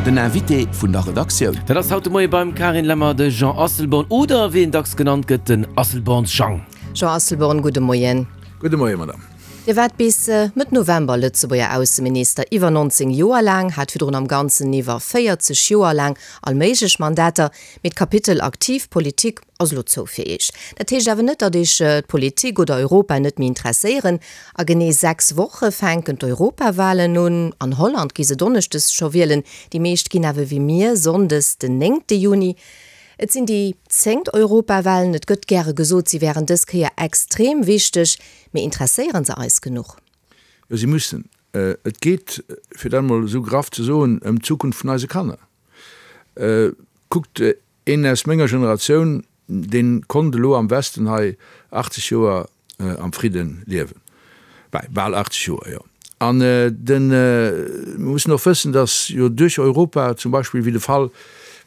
Den Invité vun der Redaktioun. Dat ass haut de Moie beim Carine Lemmer de Jean Asselborn oder wéi en dacks genannt gëtt, den Asselborns Jang. Jean Asselborn, gudde Moien. Gudde Moie, Madame. Dir waart bis Mëtt November Lëtzebuerger Ausseminister, iwwer 19 Joer laang, hat virdrun am Ganzen iwwer 40 Joer laang all méiglech Mandater. Mee d'Kapitel aktiv Politik ass elo zou fir Iech. Dat heescht awer net, datt Iech d'Politik oder Europa net méi interesséieren. A genee 6 Woche fänken d'Europawalen un. An Holland gi se donneschdes scho wielen, déi meescht ginn awer wéi mir sonndes den 9 Juni. Et sinn déi zéngt Europawalen. Et gëtt gäre gesot, si wären dës Kéier extrem wichteg. Mee interesséiere se eis genuch? Jo, si mussen. Et geet, fir dat emol esou graff ze soen, ëm d'Zukunft vun eise Kanner. Kuckt, een aus menger Generatioun, dee konnt elo am Westen hei 80 Joer am Fridde liewen. Bäi bal 80 Joer, jo. An de, mir mussen och wëssen, datt jo duerch Europa zum Beispill, wéi de Fall,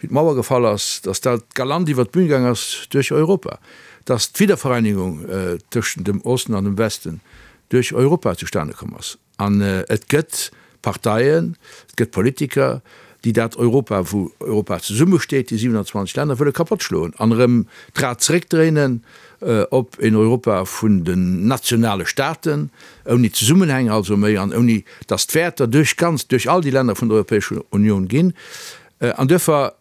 wéi d'Mauer gefall ass, datt dat galant iwwert d'Bün gaang ass duerch Europa, datt d'Wiedervereinigung tëschent dem Osten an dem Westen duerch Europa zustane komm ass. An et gëtt Parteien, et gëtt Politiker, déi dat Europa, wou Europa zesummesteet, déi 27 Länner, wëlle kapottschloen an erëm d'Rad zeréckdréinen op een Europa vun den nationale Staaten, ouni Zesummenhäng also méi an ouni datt d'Wäerter duerch ganz, duerch all déi Länner vun der Europäescher Unioun ginn. An duerfir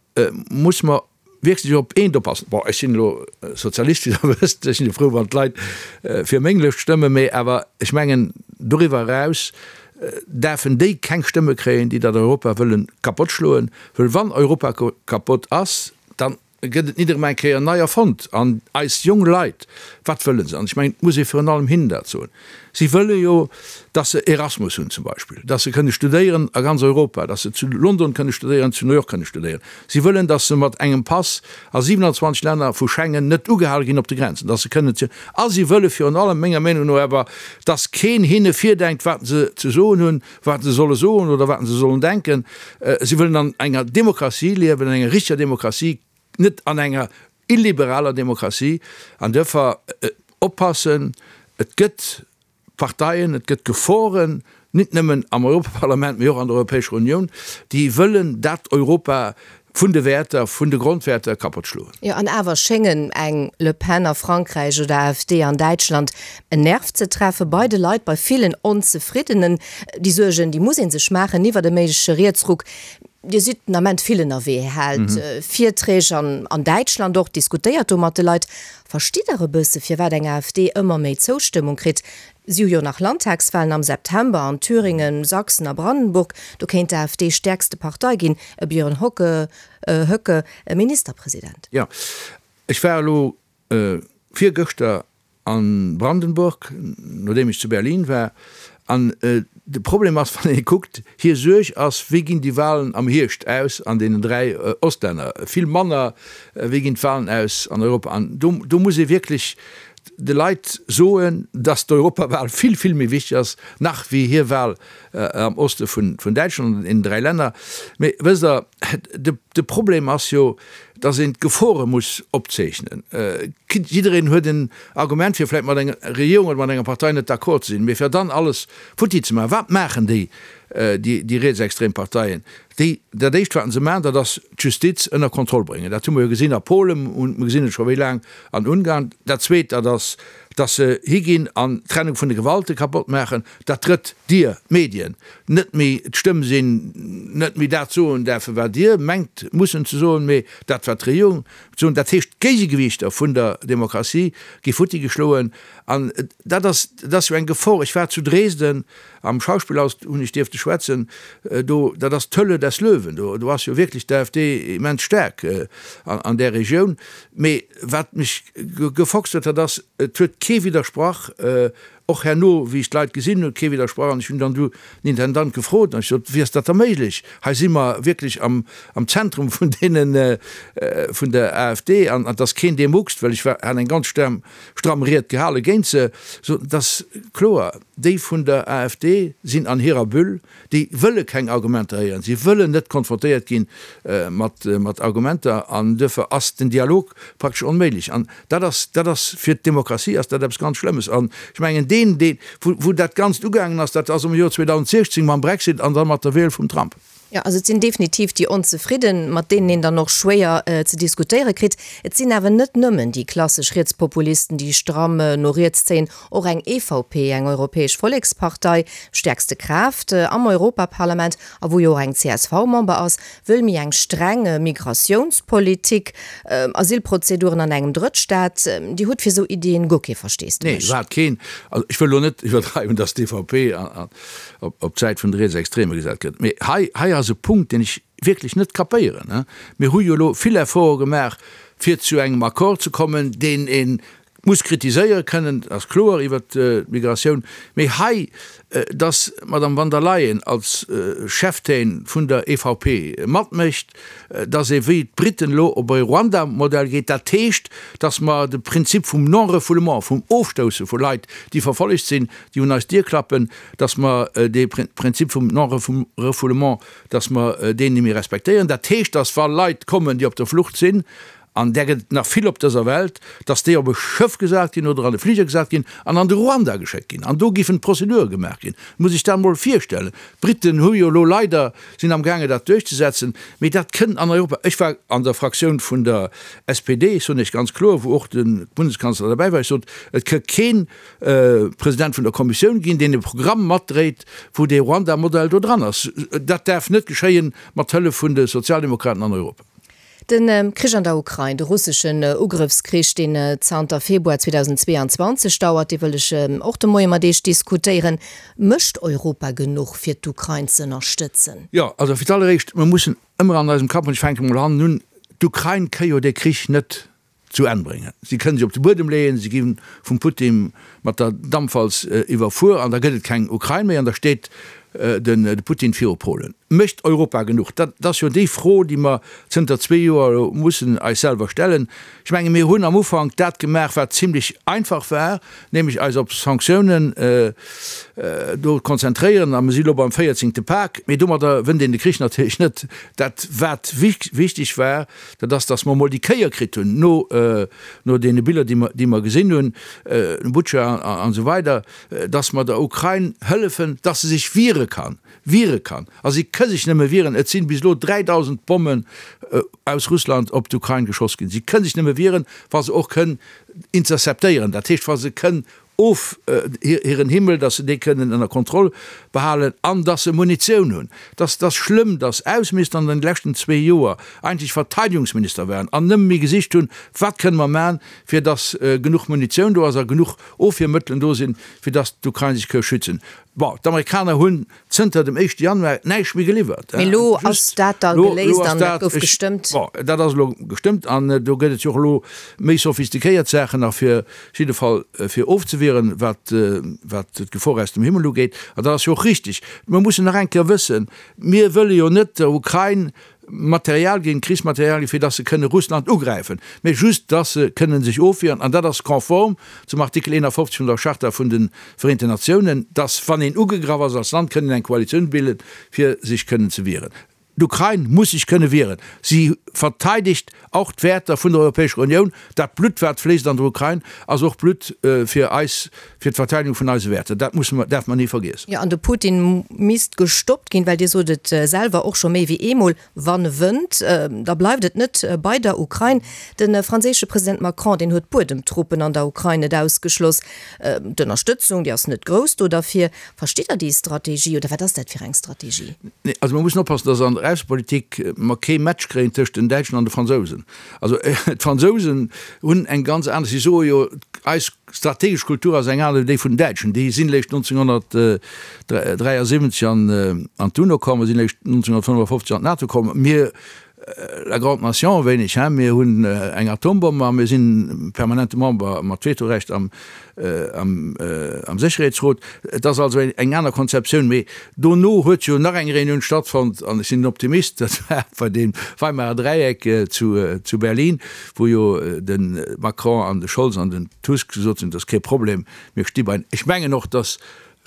muss mer wierklech op eent oppassen, bon, ech sinn elo Sozialist, wéi Der wësst, ech sinn jo frou, wann d'Leit fir meng Lëscht stëmmen, mee awer ech mengen, doriwwer eraus däerfen déi keng Stëmme kréien, déi dat Europa wëlle kapottschloen, wëll wann Europa kapott ass, dann gëtt et nit erëm eng Kéier nei erfonnt. An eis jong Leit, wat wëlle se? An ech mengen, et muss ee virun allem hinnen dat soen, Si wëlle jo, dass se Erasmus hunn zum Beispill, dass se kënne studéieren a ganz Europa, dass se zu London kënne studéieren, zu New York kënne studéieren. Si wëllen, dass se mat engem Pass a 27 Länner vu Schengen net ugehale ginn op de Grenzen, dass se kënnen zu. A si wëlle virun allem, menger Meenung no awer, dass keen hinne virdenkt, wat se ze soen hunn, wat se solle soen oder wat se sollen denken. Si wëllen an enger Demokratie liewen, an enger richteger Demokratie, net an enger illiberaler Demokratie. An duerfir oppassen, et gëtt Parteien, et gëtt Geforen, nit nëmmen am Europaparlament, mee och an der Europäescher Unioun, déi wëllen dat Europa vun de Wäerter, vun de Grondwäerter kapott schloen. Jo, an awer schéngen eng Le Pen a Frankräich oder AfD an Däitschland en Nerv ze treffe bei de Leit, bei villen Onzefriddenen. Déi Suergen, déi muss ee sech maachen iwwert e méigleche Rietsruck. Dir sidd den Ament vill ënnerwee, haalt Virträg an an Däitschland och, diskutéiert do mat de Leit. Verstitt Der e bësse firwat eng AfD ëmmer méi Zoustëmmung kritt? Si hu jo nach Landtagswahlen am September an Thüringen, Sachsen a Brandenburg. Do kéint d'AfD stäerkste Partei ginn, e Björn Hocke, Höcke Ministerpresident. Jo, ech war elo virgëschter A Brandenburg, nodeem ech zu Berlin war. An de Problem ass, wann ee kuckt, hir Suerg ass, wéi ginn déi Wahlen am Hierscht aus an deenen 3 Ostlänner, vill manner wéi ginn d'Wahlen aus an Europa. An do, do muss ee wierklech de Leit soen, datt d'Europawahl vill, vill méi wichteg ass nach wéi hir Wahl am Oste vun Däitschland an deenen 3 Länner. Mee wësst Der, de, de Problem ass jo, dass een d'Gefore muss opzeechnen. Jiddereen huet en Argument, fir vläicht mat enger Regierung oder mat enger Partei net d'accord ze sinn, mee fir dann alles futti ze maachen. Wat maachen déi, déi rietsextrem Parteien? Déi, dat Éischt, wat se maachen, dat ass d'Justiz ënner Kontroll bréngen. Dat hu mer jo gesinn a Polen, mir gesinn et scho wéi laang an Ungarn. Dat Zweet, dat ass, dass se higinn an d'Trennung vun de Gewalten kapott maachen. Dat Drëtt, Dir, d'Medien, net méi d'Stëmm sinn, net méi dat soen däerfen, wat Dir mengt mussen ze soen, mee dat, wat d'Regierung muss soen. Dat heescht, d'Géigegewiichter vun der Demokratie gi futti geschloen. An dat ass, dat ass jo eng Gefor. Ech war zu Dresden am Schauspielhaus, hunn ech dierfte schwätzen. Do, dat ass d'Höhle des Löwen. Do, do ass jo wierklech d'AfD immens staark an där Regioun. Mee wat mech gefoxt huet, dat ass, et huet kee widdersprach. Och herno, wéi ech d'Leit gesinn hunn, huet kee widdersprach. An ech hunn dann du den Intendant gefrot an ech sot, Wéi ass dat da méiglech? Hei si mer wierklech am, am Zentrum vun deenen, vun der AfD an et ass keen, dee muckst, well ech war, hat eng ganz stramm, stramm Ried gehale géint se. Sot, Et ass kloer, déi vun der AfD sinn an hirer Bulle, déi wëlle keng Argumenter héieren, si wëllen net konfrontéiert gi mat, mat Argumenter an duerfir ass den Dialog praktesch onméiglech. An Dat ass, dat ass fir d'Demokratie ass dat eppes ganz Schlëmmes. An ech mengen, deen, deen, wou, wou dat Ganzt ugaangen ass, dat ass am Joer 2016 mam Brexit an da mat der Wiel vum Trump. Jo, also et sinn definitiv déi Onzefridden, mat deenen een dann och schwéier ze diskutéiere kritt. Et sinn awer net nëmmen déi klassesch Rietspopulisten, déi stramm no riets zéien. Och eng EVP, eng Europäesch Vollekspartei, stäerkste Kraaft am Europaparlament a wou jo och eng CSV-Member ass, wëll méi eng streng Migratiounspolitik, Asylprozeduren an engem Drëttstaat. Dir hutt fir esou Iddien guer kee Versteesdemech? Nee, iwwerhaapt keen. Also ech wëll elo net iwwerdreiwen, datt d'EVP op d'Säit vun de Rietsextreme gesat gëtt. Mee hei, hei ass e Punkt, deen ech wierklech net kapéieren. Mir hu jo elo vill Efforte gemaach, fir zu engem Accord ze kommen, deen ee muss kritiséiere kënnen, dat ass kloer, iwwert d'Migratioun. Mee hei, dass d'Madame van der Leyen als Cheftaine vun der EVP matmécht, dass ee wéi d'Briten elo op e Ruanda-Modell geet, dat heescht, dass mer de Prinzip vum Non-refoulement, vum Ofstousse vu Leit, déi verfollegt sinn, déi un eis Dier klappen, dass mer dee Prinzip vum Non-refoulement, dass mer deen net méi respektéieren. Dat heescht, dass wa Leit kommen, déi op der Flucht sinn, an där gëtt et nach vill op dëser Welt, dass déi op e Schëff gesat ginn oder an e Fliger gesat ginn an an de Ruanda geschéckt ginn. An do giffen d'Prozedure gemaach ginn. Muss sech dat emol virstellen. D'Briten hu jo elo leider, sinn amgaange dat duerchzesetzen, mee dat kënnt an Europa. Ech war an der Fraktioun vun der SPD, ech soen Iech ganz kloer, wou och de Bundeskanzler derbäi war, ech sot, et kënnt keen President vun der Kommissioun ginn, deen e Programm matdréit, wou dee Ruanda-Modell do dran ass. Dat däerf net geschéien mat Hëllef vun de Sozialdemokraten an Europa. De Krich an der Ukrain, de russeschen Ugrëffskrich, deen zanter Februar 2022 dauert, dee wëll ech och de Moie mat Iech diskutéieren. Mécht Europa genuch, fir d'Ukrain ze ënnerstëtzen? Jo, also fir d'alleréischt, mir mussen ëmmer an eisem Kapp, an ech fänke mol hannen un, d'Ukrain ka jo dee Krich net zu Enn bréngen. Si kënnen se op de Buedem leeën, si gi vum Putin mat der Dampwalz iwwerfuer an da gëtt et keng Ukrain méi an da steet de Putin viru Polen. Mécht Europa genuch? Dat ass jo déi Fro, déi mer zënter zwee Joer elo mussen eis selwer stellen. Ech menge mir hunn am Ufank dat gemaach, wat zimlech einfach war, nämlech eis op Sanktiounen do konzentréieren a mir si elo beim véierzéngte Pak. Mee domadder wënnt een de Krich natierlech net. Dat wat wichteg war, Dat ass, dass mer emol déi Kéier kritt hunn, no, no deene Biller, déi mer, déi mer gesinn hunn, Butscha an esou weider, dass mer der Ukrain hëllefen, dass se sech wiere kann, wiere kann. A si ka sech nëmme wieren, et sinn bis elo 3.000 Bommen aus Russland op d'Ukrain geschoss ginn, si ka sech nëmme wieren, wa se och kënn interceptéieren, dat heescht, wa se kënn of hiren Himmel, dass se dee kënnen ënner Kontroll behalen an dass se Munitioun hunn. Dass dass schlëmm, dass Ausseminister an den leschten zwee Joer eigentlech Verteidigungsminister waren an nëmme méi gesicht hunn, wat kënne mer man, fir dass genuch Munitioun do ass a genuch Ofwiermëttelen do sinn, fir dass d'Ukrain sech ka schützen. Bon, d'Amerikaner hunn zënter dem éischte Januar näischt méi geliwwert. Mee elo ass dat da geléist an dat gouf gestëmmt. Bon, dat ass elo gestëmmt an do gëtt et jo och elo méi sophistiquéiert Saachen nach fir jidde Fall fir ofzewieren, wat wat d'Gefor aus dem Himmel ugeet. An dat ass jo och richtig. Mer mussen nach eng Kéier wëssen, mir wëlle jo net der Ukrain Material ginn, Krichsmaterial ginn, fir dass se kënne Russland ugräifen, mä just dass se kënne sech ofwieren. An dat ass konform zum Artikel 51 vun der Charta vun de Vereenten Natiounen, dass, wann een ugegraff ass als Land, kënnen eng Koalitioun bilden, fir sech kënnen ze wieren. D'Ukrain muss sech kënne wieren. Si verteidegt och d'Wäerter vun der Europäescher Unioun. Dat Blutt, wat fléisst an der Ukrain, ass och Blutt fir eis, fir d'Verteidigung vun eise Wäerter. Dat musse mer, däerfe mer ni vergiessen. Jo, an de Putin misst gestoppt ginn, well Dir sot et selwer och scho méi wéi eemol, Wann e wënnt, da bleift et net bei der Ukrain. De franséische President Macron, deen huet Buedemtruppen an der Ukrain net ausgeschloss. D'Ënnerstëtzung, déi ass net grouss do derfir. Verstitt Der déi Strategie oder wat ass dat fir eng Strategie? Nee, also mer mussen oppassen, dass an der Aussepolitik mer kee Match kréien tëscht den Däitschen an de Fransousen. Also d'Fransousen hunn eng ganz aner, si soe jo, eis strategesch Kultur ass eng aner wéi déi vun den Däitschen. Déi sinn eréischt 1973 an d'UNO komm, sinn eréischt 1955 an d'NATO komm. Mir, la grande nation e wéineg, hein, mir hunn eng Atombomm a mir sinn permanente Member mat Vetorecht am am Sécherheetsrot. Et ass also eng aner Konzeptioun. Mee dono huet jo nach eng Reunioun stattfonnt, an ech sinn en Optimist, dat war bei deem Weimarer Dräieck zu Berlin, wou jo de Macron an de Scholz an den Tusk gesot hunn, et ass kee Problem, mir sti bei. Ech mengen och, datt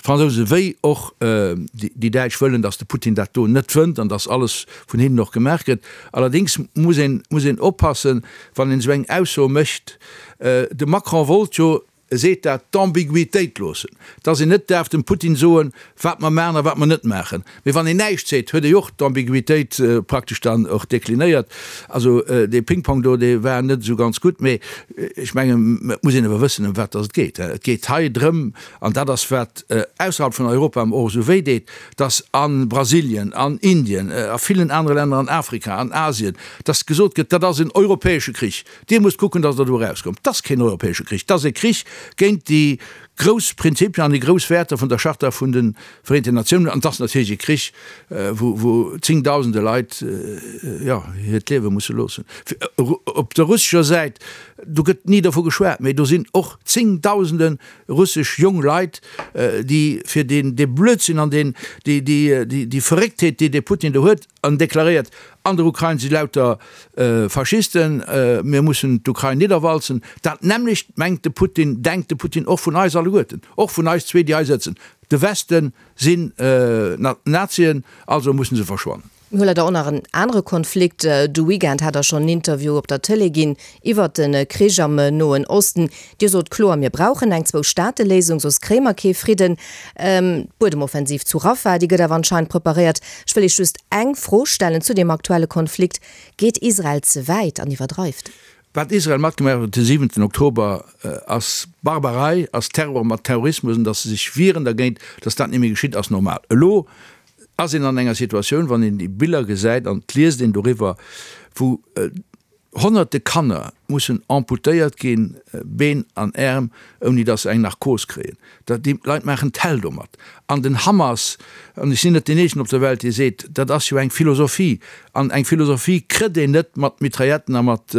d'Fransousen wéi och déi Däitsch wëllen, datt de Putin dat do net wënnt an datt alles vun hinnen och gemaach gëtt. Allerdéngs muss een, muss een oppassen, wann een esou eng Ausso mécht. De Macron wollt jo. E seet dat, d'Ambiguitéit loossen, dass een net däerf dem Putin soen, wat mer maachen a wat mer net maachen. Mee wann een näischt seet, huet ee jo och d'Ambiguitéit praktesch dann och deklinéiert. Also dee Ping-Pong do, dee war net esou ganz gutt. Mee ech mengen, et muss een awer wëssen, ëm wat dass et geet. Et geet hei drëm, an dat ass wat ausserhalb vun Europa och esou wéi deet, dass a Brasilien, an Indien, a villen anere Länner an Afrika, an Asien, dass gesot gëtt, dat ass en europäesche Krich, Dir musst kucken, dass Der do erauskommt. Dat ass keen europäesche Krich, dat ass e Krich géint déi grouss Prinzipien an déi grouss Wäerter vun der Charta vun de Vereenten Natiounen. An et ass natierlech e Krich, wou zéngdausende Leit, jo, hiert Liewe musse loossen. Op der russescher Säit, do gëtt ni dervu geschwat, mee do sinn och zéngdausende russesch jong Leit, déi fir deen, dee Blödsinn an deen, déi, déi, déi Verrécktheet, déi dee Putin do huet, an deklaréiert, An der Ukrain si lauter Faschisten, mir mussen d'Ukrain nidderwalzen. Dat nämmlecht mengt de Putin, denkt de Putin och vun eis alleguerten, och vun eis zwee, déi hei sëtzen. De Westen sinn Nazien, also mussen se verschwannen. Mir hu leider och nach en anere Konflikt. De Weekend hat Der schonn en Interview op der Tëlee ginn iwwert de Krich am Noen Osten. Dir sot kloer, mir brauchen eng Zwou-Staate-Léisung, soss kréie mer kee Fridden. D'Buedemoffensiv zu Rafah, déi gëtt awer anscheinend preparéiert. Ech wëll Iech just eng Fro stellen zu deem aktuelle Konflikt, Geet Israel ze wäit an iwwerdreift? Wat Israel matgemaach huet de siwenten Oktober, ass Barbarei, ass Terror mat Terrorismus, an datt se sech wieren dergéint, datt dat net méi geschitt, ass normal. Elo ass een an enger Situatioun, wann een déi Biller gesäit an et liest een doriwwer, wou Honnerte Kanner mussen amputéiert ginn, Been an Äerm, ouni datt se eng Narkos kréien. Dat, déi Leit maachen d'Häll domat. An den Hamas, an ech sinn net deen eenzegen op der Welt, dee seet, dat ass jo eng Philosophie, an eng Philosophie kritt een net mat Mitrailletten a mat,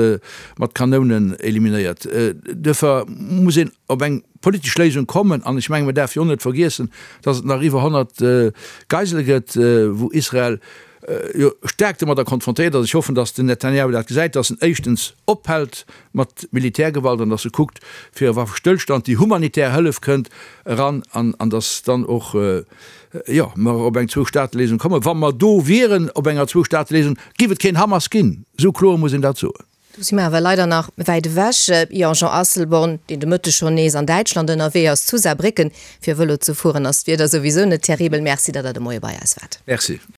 mat Kanounen eliminéiert. Duerfir muss een op eng politesch Léisung kommen. An ech mengen, mer däerfe jo och net vergiessen, datt et nach iwwer 100 Geisele gëtt, wou Israel jo staark domadder konfrontéiert ass. Ech hoffen, datt den Netanjahu dat gesäit, datt en éischtens ophält mat Militärgewalt an datt e kuckt fir e Waffestëllstand, déi humanitär Hëllef kënnt eran an an datt dann och, jo, mer op eng Zwou-Staate-Léisung kommen. Wa mer do wieren op enger Zwou-Staate-Léisung, géif et keen Hamas ginn. Esou kloer muss een dat soen. Do si mer awer leider nach wäit ewech. Jo, Jean Asselborn, deen de Mëtteg schonn nees an Däitschland ënnerwee ass, zu Saarbrécken, fir Vëlo ze fueren, ass d'Wieder souwisou net terribel. Merci, datt Der de Moie bei eis waart. Merci.